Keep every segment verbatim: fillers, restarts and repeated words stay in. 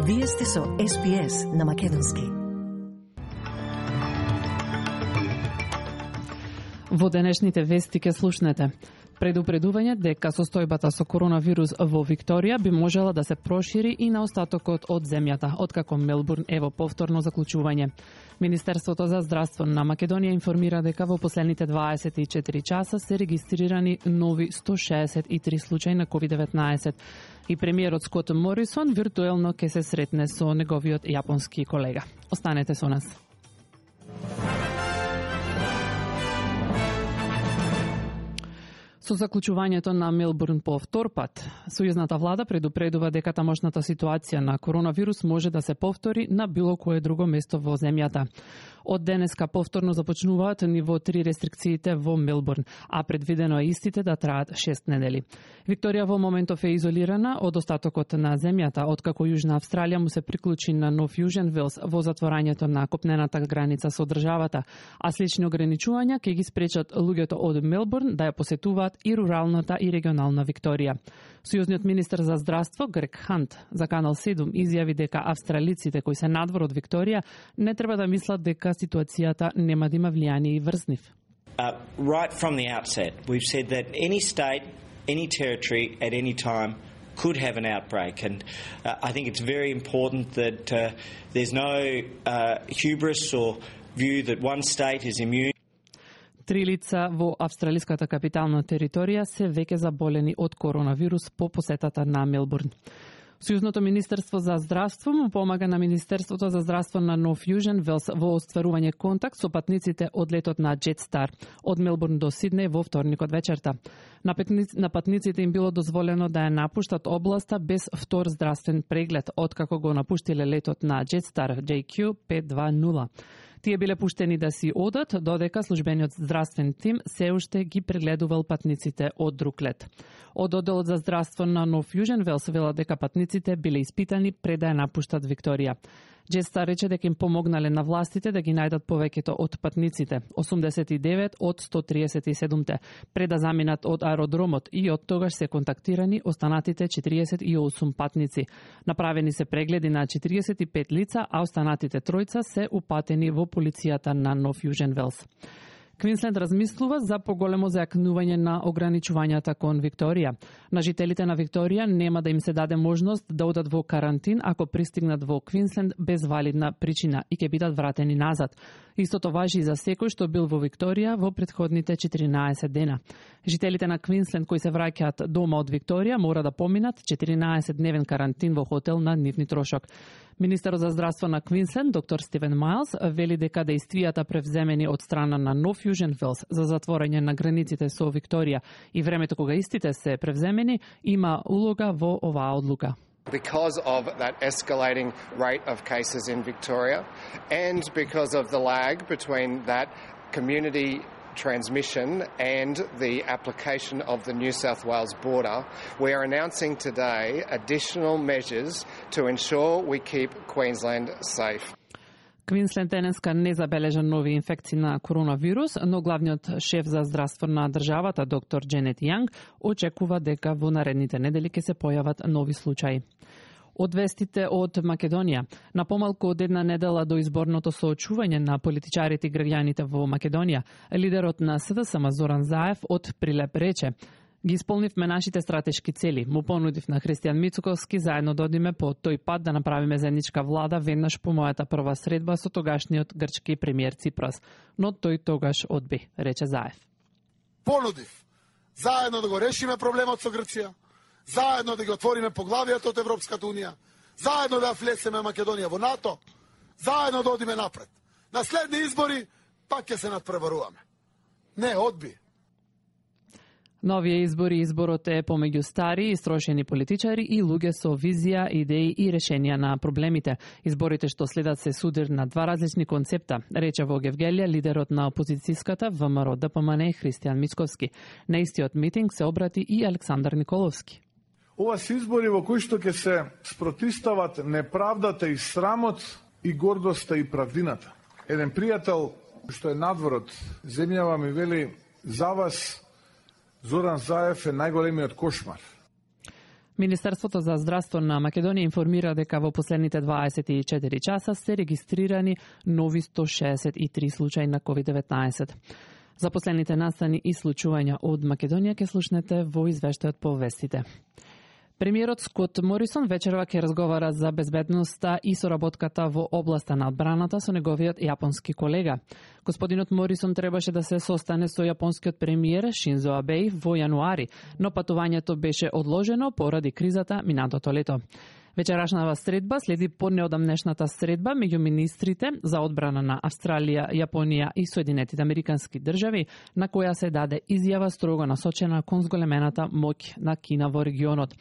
Вие сте со Ес Би Ес на македонски. Во денешните вести ке слушнете. Предупредување дека состојбата со коронавирус во Викторија би можела да се прошири и на остатокот од земјата, откако Мелбурн е во повторно заклучување. Министерството за здравство на Македонија информира дека во последните дваесет и четири часа се регистрирани нови сто шеесет и три случаи на ковид деветнаесет. И премиерот Скот Морисон виртуелно ќе се сретне со неговиот јапонски колега. Останете со нас. Со заклучувањето на Мелбурн по втор пат, сојузната влада предупредува дека тамошната ситуација на коронавирус може да се повтори на било кое друго место во земјата. Од денеска повторно започнуваат ниво три рестрикциите во Мелбурн, а предвидено е истите да траат шест недели. Викторија во моментов е изолирана од остатокот на земјата, откако Јужна Австралија му се приклучи на Нов Јужен Велс во затворањето на копнената граница со државата, а слични ограничувања ќе ги спречат луѓето од Мелбурн да ја посетуваат и руралната и регионална Викторија. Сојузниот министер за здравство Грег Хант за Канал седум изјави дека австралиците кои се надвор од Викторија не треба да мислат дека ситуацијата нема да има влијание и врз нив. Uh, right from the outset, we've said that any state, any territory at any time could have an outbreak, and uh, I think it's very important that uh, there's no uh, hubris or view that one state is immune. Три лица во австралиската капитална територија се веќе заболени од коронавирус по посетата на Мелбурн. Сојузното министерство за здравство му помага на Министерството за здравство на Нов Јужен Велс во остварување контакт со патниците од летот на Jetstar од Мелбурн до Сиднеј во вторникот вечерта. На, петници, на патниците им било дозволено да ја напуштат областа без втор здравствен преглед, откако го напуштиле летот на Jetstar Џеј Кју пет два нула. Тие биле пуштени да си одат, додека службениот здравствен тим се уште ги прегледувал патниците од друг лет. Од одделот за здравство на Нов Јужен Велс велат дека патниците биле испитани пред да ја напуштат Викторија. Jetstar рече дека им помогнале на властите да ги најдат повеќето од патниците, осумдесет и девет од сто триесет и седум, пред да заминат од аеродромот, и од тогаш се контактирани останатите четириесет и осум патници. Направени се прегледи на четириесет и пет лица, а останатите тројца се упатени во полицијата на Нов Јужен Велс. Квинсленд размислува за поголемо зајакнување на ограничувањата кон Викторија. На жителите на Викторија нема да им се даде можност да одат во карантин ако пристигнат во Квинсленд без валидна причина и ќе бидат вратени назад. Истото важи и за секој што бил во Викторија во претходните четиринаесет дена. Жителите на Квинсленд кои се враќаат дома од Викторија мора да поминат четиринаесет дневен карантин во хотел на нивни трошок. Министерот за здравство на Квинсленд, доктор Стивен Майлс, вели дека дејствијата превземени од страна на Нов Јужен Велс за затворање на границите со Викторија и времето кога истите се превземени има улога во оваа одлука. Because of that escalating rate of cases in Victoria and because of the lag between that community transmission and the application of the New South Wales border, we are announcing today additional measures to ensure we keep Queensland safe. Квинсленд денеска не забележа нови инфекции на коронавирус, но главниот шеф за здравство на државата, доктор Дженет Јанг, очекува дека во наредните недели ќе се појават нови случаи. Од вестите од Македонија. На помалку од една недела до изборното соочување на политичарите и граѓаните во Македонија, лидерот на С Д С М Зоран Заев од Прилеп рече: ги исполнивме нашите стратешки цели. Му понудив на Христијан Мицуковски заедно да одиме по тој пат да направиме заедничка влада веднаш по мојата прва средба со тогашниот грчки премиер Ципрас. Но тој тогаш одби, рече Заев. Понудив заедно да го решиме проблемот со Грција, заедно да ги отвориме поглавијата од Европската Унија, заедно да влесеме Македонија во НАТО, заедно да одиме напред. На следни избори пак ќе се надпреваруваме. Не, одби. Новија избори изборот е помеѓу стари, истрошени политичари и луѓе со визија, идеи и решенија на проблемите. Изборите што следат се судир на два различни концепта, рече во Гевгелија лидерот на опозицијската В М Р Д П М Н Христијан Мицковски. На истиот митинг се обрати и Александар Николовски. Ова се избори во кои што ќе се спротистават неправдата и срамот и гордоста и правдината. Еден пријател што е надвор од земјава ми вели: за вас Зоран Заев е најголемиот кошмар. Министерството за здравство на Македонија информира дека во последните дваесет и четири часа се регистрирани нови сто шеесет и три случаи на ковид деветнаесет. За последните настани и случувања од Македонија ќе слушнете во извештајот по вестите. Премиерот Скот Морисон вечерва ќе разговара за безбедноста и соработката во областа на одбраната со неговиот јапонски колега. Господинот Морисон требаше да се состане со јапонскиот премиер Шинзо Абе во јануари, но патувањето беше одложено поради кризата минатото лето. Вечерашната средба следи поднеодамнешната средба меѓу министрите за одбрана на Австралија, Јапонија и Соединетите Американски држави, на која се даде изјава строго насочена кон зголемената моќ на Кина во регионот.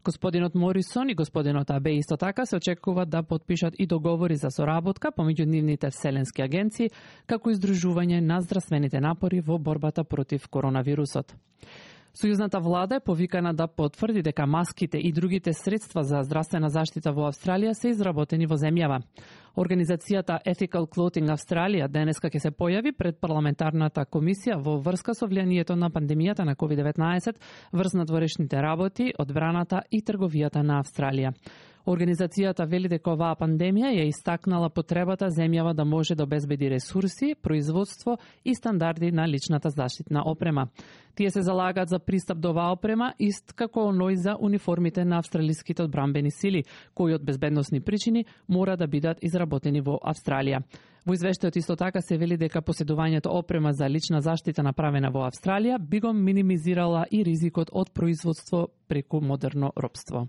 Господинот Морисон и господинот Абе исто така се очекува да потпишат и договори за соработка помеѓу нивните вселенски агенции, како издружување на здравствените напори во борбата против коронавирусот. Сојузната влада е повикана да потврди дека маските и другите средства за здравствена заштита во Австралија се изработени во земјава. Организацијата Ethical Clothing Австралија денеска ќе се појави пред парламентарната комисија во врска со влијанието на пандемијата на ковид деветнаесет врз надворешните работи, одбраната и трговијата на Австралија. Организацијата вели дека оваа пандемија ја истакнала потребата земјава да може да обезбеди ресурси, производство и стандарди на личната заштитна опрема. Тие се залагаат за пристап до оваа опрема, ист како оној за униформите на австралиските одбранбени сили, кои од безбедносни причини мора да бидат изработени во Австралија. Во извештајот исто така се вели дека поседувањето опрема за лична заштита направена во Австралија би го минимизирала и ризикот од производство преку модерно робство.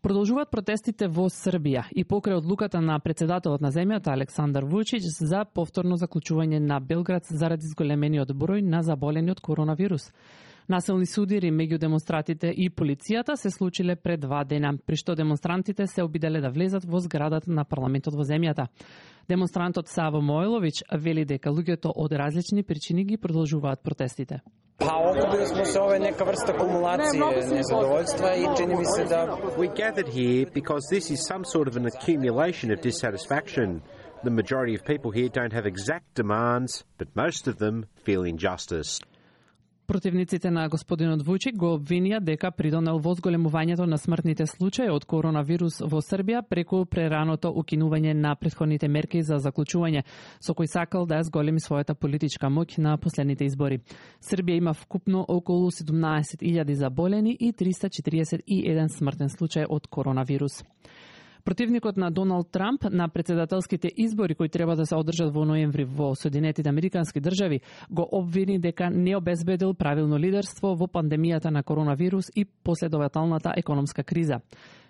Продолжуваат протестите во Србија и покрај одлуката на председателот на земјата Александар Вучич за повторно заклучување на Белград заради зголемениот број на заболени од коронавирус. Насилни судири меѓу демонстратите и полицијата се случиле пред два дена, при што демонстрантите се обиделе да влезат во зградата на парламентот во земјата. Демонстрантот Саво Мојловиќ вели дека луѓето од различни причини ги продолжуваат протестите. Па окупили смо се ове нека врста акумулација незадоволства и чини ми се да We gathered here because this is some sort of an accumulation of dissatisfaction. The majority of people here don't have exact demands, but most of them feel injustice. Противниците на господинот Вучик го обвинија дека придонел во зголемувањето на смртните случаи од коронавирус во Србија преку прераното укинување на претходните мерки за заклучување, со кој сакал да ја зголеми својата политичка моќ на последните избори. Србија има вкупно околу седумнаесет илјади заболени и триста четиридесет и еден смртен случај од коронавирус. Противникот на Доналд Трамп на председателските избори кои треба да се одржат во ноември во Соединетите Американски држави го обвини дека не обезбедил правилно лидерство во пандемијата на коронавирус и последователната економска криза.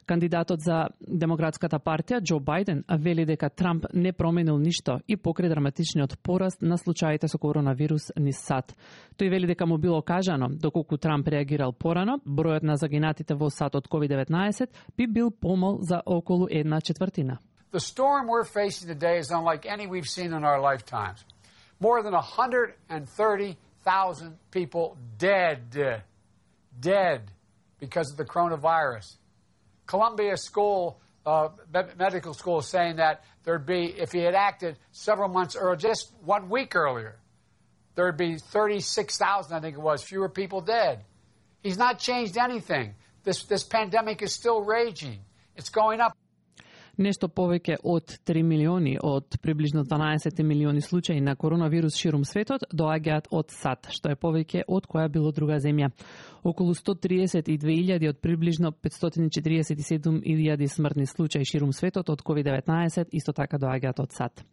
Кандидатот за Демократската партија Џо Бајден вели дека Трамп не променил ништо и покрај драматичниот пораст на случаите со коронавирус низ САД. Тој вели дека му било кажано, доколку Трамп реагирал порано, бројот на загинатите во САД од ковид деветнаесет би бил помал за околу една четвртина. The storm we're facing today is unlike any we've seen in our lifetimes. More than one hundred thirty thousand people dead, dead because of the coronavirus. Columbia School, uh, medical school, is saying that there'd be, if he had acted several months earlier, just one week earlier, there'd be thirty-six thousand, I think it was, fewer people dead. He's not changed anything. This, this pandemic is still raging. It's going up. Нешто повеќе од три милиони од приближно дванаесет милиони случаи на коронавирус ширум светот доаѓаат од САД, што е повеќе од која било друга земја. Околу сто триесет и две илјади од приближно петстотини четириесет и седум илјади смртни случаи ширум светот од ковид деветнаесет исто така доаѓаат од САД.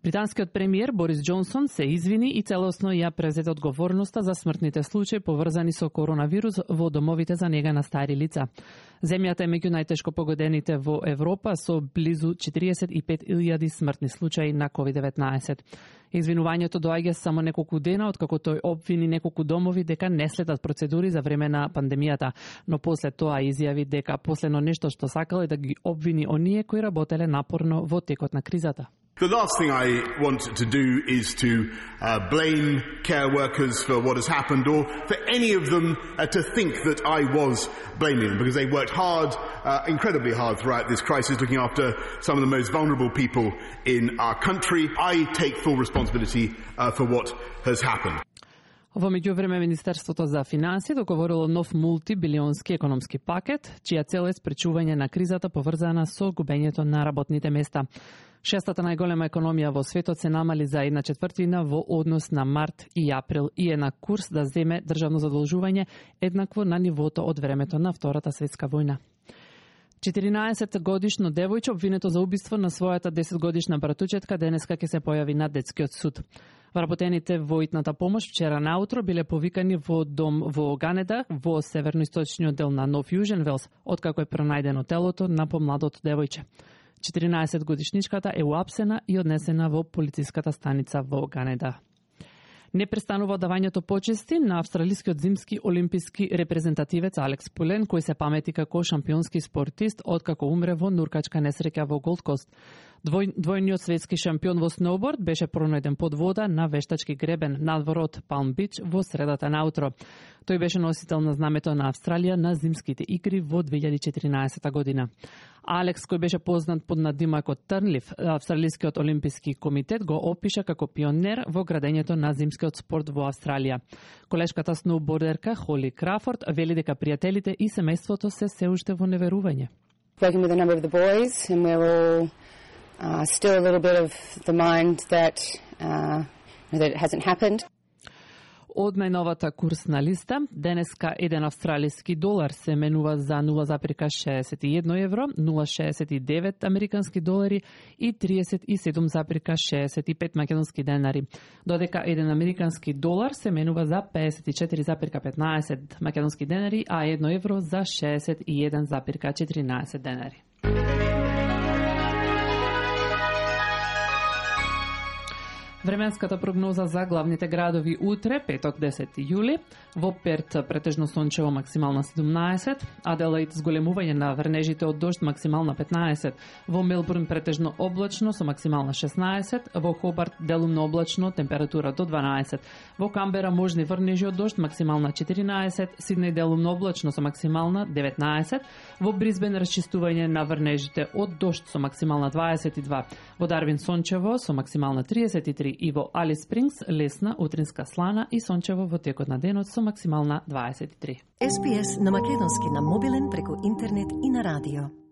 Британскиот премиер Борис Џонсон се извини и целосно ја презеде одговорноста за смртните случаи поврзани со коронавирус во домовите за нега на стари лица. Земјата е меѓу најтешко погодените во Европа со близу четириесет и пет илјади смртни случаи на ковид деветнаесет. Извинувањето доаѓа само неколку дена откако тој обвини неколку домови дека не следат процедури за време на пандемијата, но после тоа изјави дека последно нешто што сакал е да ги обвини оние кои работеле напорно во текот на кризата. The last thing I want to do is to uh, blame care workers for what has happened, or for any of them uh, to think that I was blaming them, because they worked hard, uh, incredibly hard throughout this crisis, looking after some of the most vulnerable people in our country. I take full responsibility uh, for what has happened. Во меѓувреме, Министерството за финансии договорило нов мултибилионски економски пакет, чија цел е спречување на кризата поврзана со губењето на работните места. Шестата најголема економија во светот се намали за една четвртина во однос на март и април и е на курс да земе државно задолжување еднакво на нивото од времето на Втората светска војна. четиринаесет годишно девојче обвинето за убиство на својата десет годишна братучетка денеска ќе се појави на детскиот суд. Вработените во итната помош вчера наутро биле повикани во дом во Ганеда, во северноисточниот дел на Нов Јужен Велс, откако е пронајдено телото на помладото девојче. четиринаесет годишничката е уапсена и однесена во полициската станица во Ганеда. Не престанува давањето почести на австралискиот зимски олимписки репрезентативец Алекс Пулен, кој се памети како шампионски спортист откако умре во нуркачка несреќа во Голд Кост. Двој, двојниот светски шампион во сноуборд беше пронајден под вода на вештачки гребен надвор од Палм Бич во средата наутро. Тој беше носител на знамето на Австралија на зимските игри во две илјади и четиринаесета година. Алекс, кој беше познат под надимакот Трнлив, Австралискиот олимписки комитет го опиша како пионер во градењето на зимскиот спорт во Австралија. Колешката сноубордерка Холи Крафорд вели дека пријателите и семејството се се уште во неверување. Working with a number of the boys, and we're all uh, still a little bit of the mind that uh, that it hasn't happened. Од најновата курсна листа, денеска еден австралиски долар се менува за нула зарез шеесет и едно евро, нула зарез шеесет и девет американски долари и триесет и седум зарез шеесет и пет македонски денари, додека еден американски долар се менува за пеесет и четири зарез петнаесет македонски денари, а едно евро за шеесет и еден зарез четиринаесет денари. Временската прогноза за главните градови утре, петок десети јули, во Перт претежно сончево максимална седумнаесет, Аделаид зголемување на врнежите од дожд максимална петнаесет, во Мелбурн претежно облачно со максимална шеснаесет, во Хобарт делумно облачно температура до дванаесет, во Камбера можни врнежи од дожд максимална четиринаесет, Сиднеј делумно облачно со максимална деветнаесет, во Брисбен расчистување на врнежите од дожд со максимална дваесет и два, во Дарвин сончево со максимална триесет и три и во Алис Спрингс лесна утринска слана и сончево во текот на денот со максимална дваесет и три. Ес Би Ес на македонски на мобилен преку интернет и на радио.